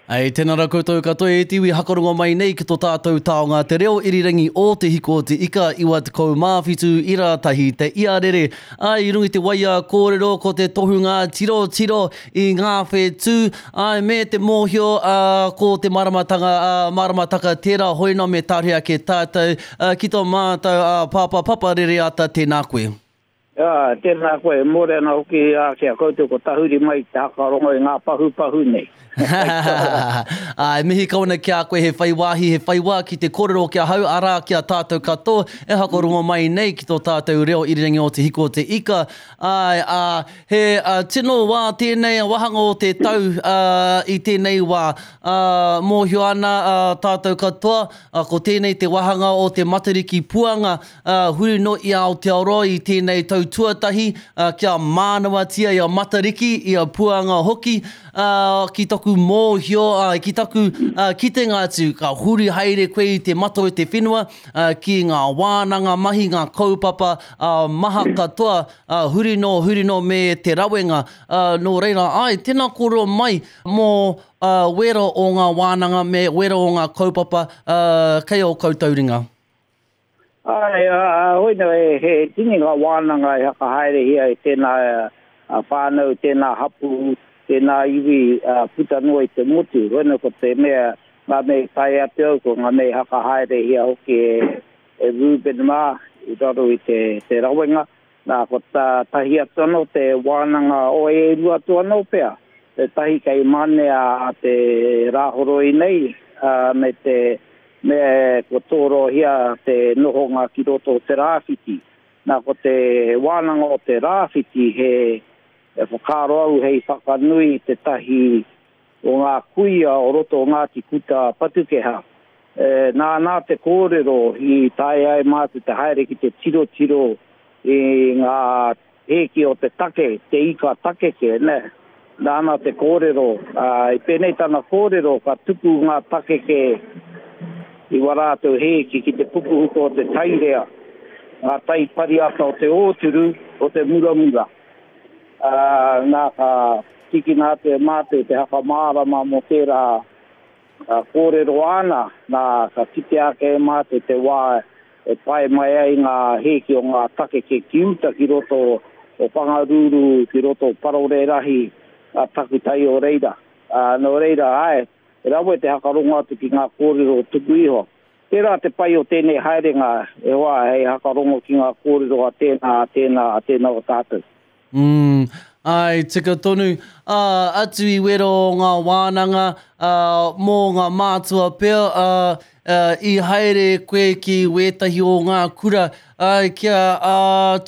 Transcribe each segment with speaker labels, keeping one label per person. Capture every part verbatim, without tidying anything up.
Speaker 1: Ei, tēnā rā koutou katoa e te iwi hakarongo mai nei ki tō tātou taonga te reo irirangi o Te Hiko o Te Ika iwa tekau mā whitu ira tahi te iarere. Ai, i runga i te waia kōrero ko te tohunga tiro tiro i ngā whetū, ai, me te mōhio ā, ko te māramatanga, ā, māramataka tērā hoina me tāre ake tātou ā, ki tō mātou ā, pāpā Papa Rereata, tēnā koe.
Speaker 2: Ā, tēnā koe, mōrena hoki ā, ki a koutou ko tahuri mai te hakarongo i ngā pahupahu nei.
Speaker 1: Ā, e mihi kau ana ki a koe he whai wāhi, he whai wā ki te kōrero ki ahau, arā, ki a tātou katoa e hakarongo mai nei ki tō tātou reo irirangi o Te Hiko o Te Ika. Āe, ā, he ā, tino wā tēnei wāhanga o te tau ā, i tēnei wā. Ā, mōhio ana ā, tātou katoa, ā, ko tēnei te wāhanga o te Matariki Puanga, ā, huri noa i Aotearoa i tēnei tau tuatahi, ā, kia mānawatia i a Matariki, i a Puanga hoki, ā, ki taku mōhio, ā, ki taku ā, kitenga atu, ka huri haere koe i te mata o te whenua, ā, ki ngā wānanga mahi, ngā kaupapa ā, maha katoa, ā, huri noa, huri noa me te rawenga. Ā, nō reira, āe, tēnā kōrero mai mō ā, wera o ngā wānanga me wera o ngā kaupapa ā, kei ō koutou ringa.
Speaker 2: Āe, ā, hoina, he, he tini ngā wānanga e whakahaerehia e tēnā whānau, tēnā hapū, tēnā iwi ā, puta noa i te motu. Hoina ko te mea, ngā mea i tae atu au, ko ngā mea i whakahaerehia hoki e, e Reuben mā i raro i te, te rawenga. Nā, ko tā, tahi atu anō te wānanga o e rua atu anō pea. Te tahi kei Manea a te Rāhoroi nei, ā, me te me kua tōrohia te nohonga ki roto o te rāwhiti. Nā, ko te wānanga o te rāwhiti he e whakaaro au hei whakanui te tahi o ngā kuia o roto o Ngāti Kuta Patukeha. E, nā nā te kōrero i tae ai mātou te haere ki te tirotiro i ngā hēki o te take, te ika takeke, ne? Nāna te kōrero, ā, i pēnei tana kōrero ka tuku ngā takeke i wā rātou hēki ki te pupuhuko o te tairea, ngā tai pariata o te ōturu, o te muramura. Ā, nā ka tīkina atu e mātou te whakamārama mō tērā ā, kōrero āna, nā ka kitea ake e mātou te wā e pae mai ai ngā hēki o ngā takeke ki uta ki roto o Whangaruru, ki roto o Parorerahi, a takutai o reira. Ā, nō reira, āe, e rawe te hakarongo atu ki ngā kōrero tuku iho. Tērā te pai o tēnei haerenga, e hoa, hei hakarongo ki ngā kōrero a tēnā, a tēnā, a tēnā o tātou.
Speaker 1: Mm, āe, tika tonu. Ā, atu i wera o ngā wānanga, ā, mō ngā mātua pea, ā, ā, i haere koe ki wētahi o ngā kura, ā, kia ā,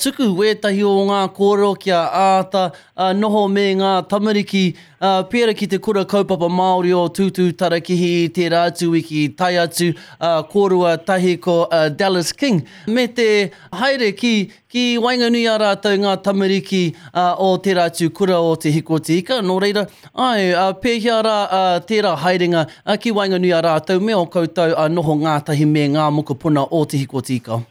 Speaker 1: tuku wētahi o ngā kōrero kia āta ā, noho me ngā tamariki, ā, pērā ki te kura kaupapa Māori o Tūtū Tarakihi i tērā atu wiki tae atu ā, kōrua tahi ko ā, Dallas King, me te haere ki, ki waenganui i a rātou ngā tamariki ā, o tērā atu kura o Te Hiko o Te Ika, nō reira, āe, ā, pēhea rā ā, tērā haerenga ā, ki waenganui i a rātou me ō koutou ā, noho ngātahi me ngā mokopuna o Te Hiko o Te Ika?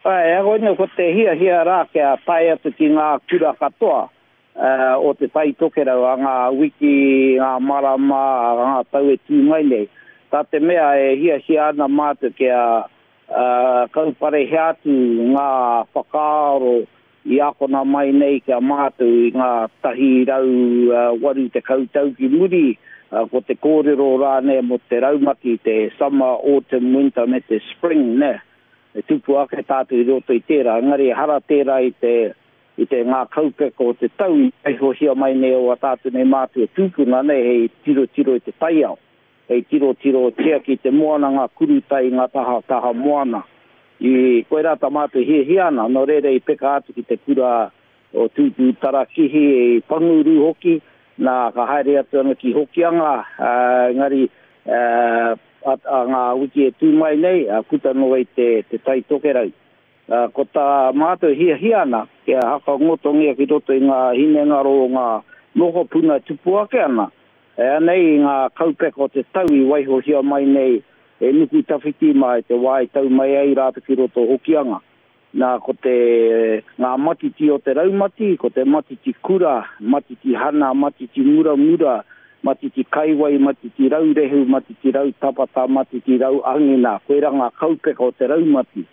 Speaker 2: Āe, koinei ko te hiahia rā kia tae atu ki ngā kura katoa uh, o te Tai Tokerau a ngā wiki, ngā marama, a ngā tau e tū mai nei. Tā te mea e hiahia ana mātou kia uh, kauparehia atu ngā whakaaro i akona mai nei kia mātou i ngā tahi rau uh, waru tekau tau ki muri, uh, ko te kōrero rānei mō te raumati, te summer, autumn, winter me te spring, ne? E tupu ake tātou i roto i tērā, engari ehara tērā i te, i te ngā kaupeka o te tau i waihohia mai nei o a tātou nei mātua tūpuna nei hei tirotiro i te taiao, hei tirotiro tiaki te moana, ngā kurutai, ngā taha, taha moana. I koirā tā mātou hiahia ana, nō reira i peka atu ki te kura o Tūtū Tarakihi, i Panguru hoki, nā ka haere atu ana ki Hokianga, ā, engari ā, a, a ngā wiki e tū mai nei, ā, puta noa i te, te Tai Tokerau. Ā, ko tā mātou hiahia ana, kia hakangotongia ki roto i ngā hinengaro o ngā mokopuna e tupu ake ana, e anei i ngā kaupeka o te tau i waihohia mai nei e Nuku Tawhiti mā i te wā i tau mai ai rātou ki roto o Hokianga. Nā, ko te, ngā matiti o te raumati, ko te matiti kura, matiti hana, matiti muramura, Matiti Kaiwai, Matiti Raurehu, Matiti Rautapata, Matiti Rauangina. Koira ngā kaupeka o te raumati.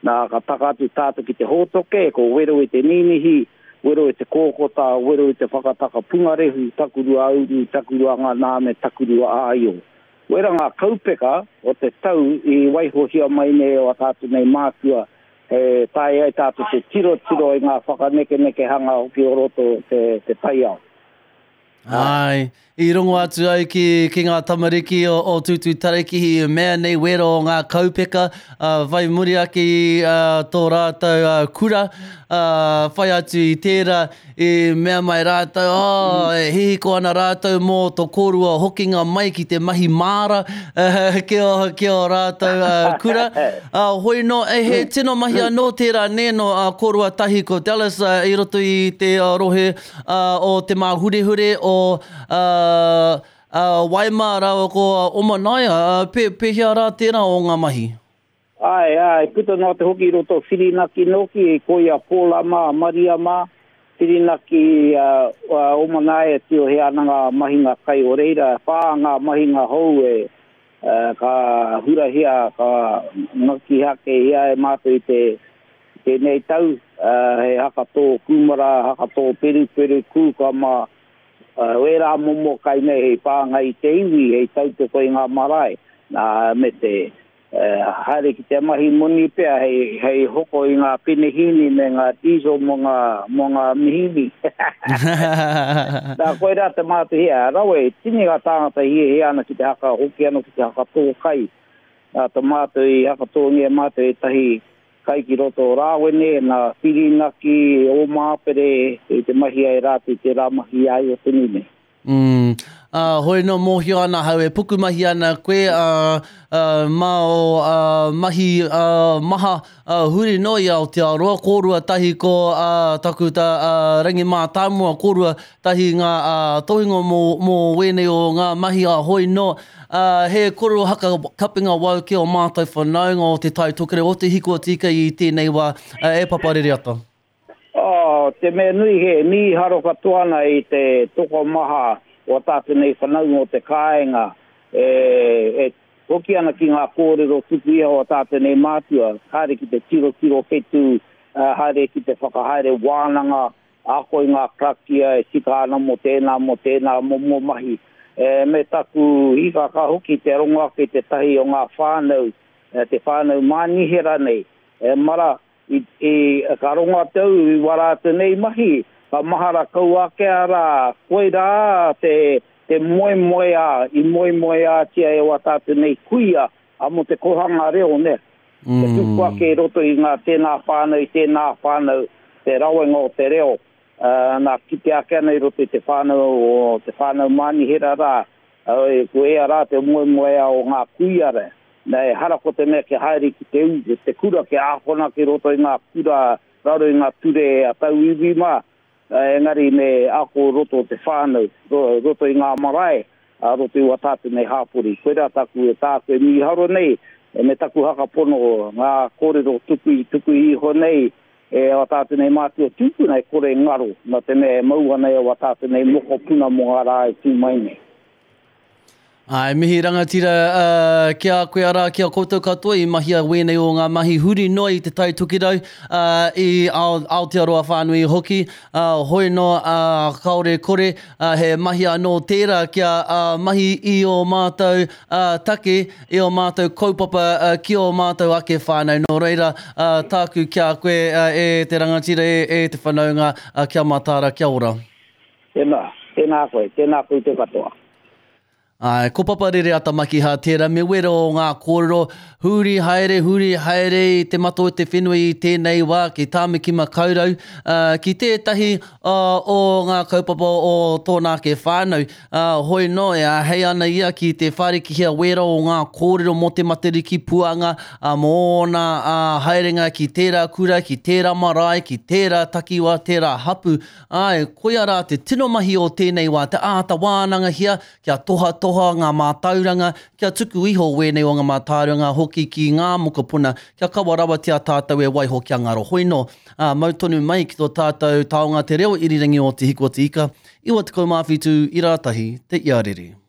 Speaker 2: Nā, ka taka atu tātou ki te hōtoke, ko wero i te ninihi, wero i te kōkota, wero i te whakataka pungarehu, takurua auru, takurua ngā me takurua āio. Wera ngā kaupeka o te tau i waihohia mai nei o a tātou nei mātua, e tae ai tātou te tiro tiro i ngā whakanekeneke hanga hoki o roto te, te taiao.
Speaker 1: Ai, i rongo atu au ki, ki ngā tamariki o, o Tūtū Tarakihi i mea nei wero o ngā kaupeka, uh, whai muri ake i uh, tō rātou uh, kura, uh, whai atu i tērā i mea mai rātou, oh, e hihiko ana rātou mō tō kōrua hokinga mai ki te mahi māra uh, ki o, ki o rātou uh, kura. Uh, hoi no, e he tino mahi anō tērā nē no uh, kōrua tahi ko Dallas uh, i roto i te uh, rohe uh, o te Māhurehure o uh, uh, Waima rāua ko Omanaia, uh, pe, pehea rā tērā o ngā mahi?
Speaker 2: Ai, ai, puta noa te hoki i roto Whirinaki noki, koia Pōla mā, Maria mā, Whirinaki uh, uh, Omanaia tio he ana ngā mahinga kai o reira, whā ngā mahinga hou e uh, ka hurahia, ka ngaki hake hia e mātou i te tēnei tau, uh, he haka tō kūmara, haka tō peruperu, kūka mā, Uh, wērā momo kai nei hei pānga i te iwi, hei tautoko i ngā marae, nā, me te uh, haere ki te mahi moni pea hei, hei hoko i ngā penehini me ngā diesel mō ngā, mō ngā mihini. Nā, koirā te mātou hia, rawe, tini ngā tāngata hia hia ana ki te haka hoki anō ki te haka tō kai. Nā, te mātou i haka tōngia mātou e tahi kai ki roto o Rāwene, nā Whirinaki, o Māpere, i te mahi ai rātou i te rā mahi ai o te nui.
Speaker 1: Mm. Uh, hoi no mōhio ana hau e pukumahi ana koe uh, uh, mā o uh, mahi uh, maha uh, huri no i Aotearoa, kōrua tahi ko uh, takuta uh, Rangi Mātāmua, kōrua tahi ngā uh, tohinga mō, mō wēnei o ngā mahi a hoi no. Uh, he koro haka kapinga wau ki o mātou whanaunga o te Tai Tokerau o te Hiku o te Ika i tēnei wā uh, e Papa Rereata.
Speaker 2: Oh, te mea nui he mīharo katoa ana i te tokomaha o tātou nei whanaunga o te kāinga e, e hoki ana ki ngā kōrero tuku iho o tātou nei mātua, haere ki te tiro tiro whetū, uh, haere ki te whakahaere wānanga, ako i ngā karakia e tika ana mō tēnā, mō tēnā, mō mō mahi. E, me taku hikaka hoki te rongo ake te tahi o ngā whānau, te whānau mānihera nei, e mara, i, i ka rongo atu i wara atu nei mahi, ka mahara kau ake ara, koirā te, te moemoeā, i moemoeātia e wā tātou nei kuia, a mō te kohanga reo, ne. Mm. Te tupu ake i roto i ngā tēnā whānau, i tēnā whānau, te rawenga o te reo, uh, nā kite ake ana i roto i te whānau o te whānau mānihera rā, uh, ko ea rā te moemoeā o ngā kuia rā. Nā, e hara ko te mea ke haere ki te u, te kura ke ākona ki roto i ngā kura, raro i ngā ture a tauiwi mā, engari me ako roto o te whānau, roto i ngā marae, a roto i wā tātou nei hāpori. Koirā taku e tāku e mīharo nei, e me taku hakapono ngā kōrero tuku i tuku iho nei, e wā tātou nei mātua tūpuna e kore ngaro, nā te mea e mau ana e wā tātou nei mokopuna mō ngā rā e tū mai nei.
Speaker 1: Ai, mihi rangatira uh, ki a koe arā, ki a koutou katoa i mahia wēnei o ngā mahi huri noa i te Tai Tokerau, uh, i Aotearoa whānui hoki, uh, hoi no uh, kaore kore, uh, he mahi anō tērā kia uh, mahi i o mātou uh, take, i o mātou kaupapa uh, ki o mātou ake whānau. Nō reira, uh, tāku ki a koe uh, e te rangatira, e, e te whanaunga, uh, kia mātāra, kia ora.
Speaker 2: Tēnā, tēnā koe, tēnā koe te katoa.
Speaker 1: Ai, ko Papa Rereata Makiha tērā me wero o ngā kōrero, huri haere, huri haere i te mata o te whenua i tēnei wā ki Tāmaki Makaurau, uh, ki tētahi uh, o ngā kaupapa o tōna ake whānau. Uh, hoi no, e āhei ana ia ki te whārikihia wero o ngā kōrero mō te Matariki puanga, uh, mō ōna uh, haerenga ki tērā kura, ki tērā marae, ki tērā takiwa, tērā hapu. Ai, koia rā te tino mahi o tēnei wā, te āta wānangahia, kia toha toha aroha, ngā mātauranga, kia tuku iho wēnei o ngā mātauranga hoki ki ngā mokopuna, kia kawa rawatia tātou e waiho kia ngaro hoino. Ā, mau tonu mai ki tō tātou taonga te reo irirangi o Te Hiku o Te Ika, iwa tekau mā whitu, ira tahi, te iarere.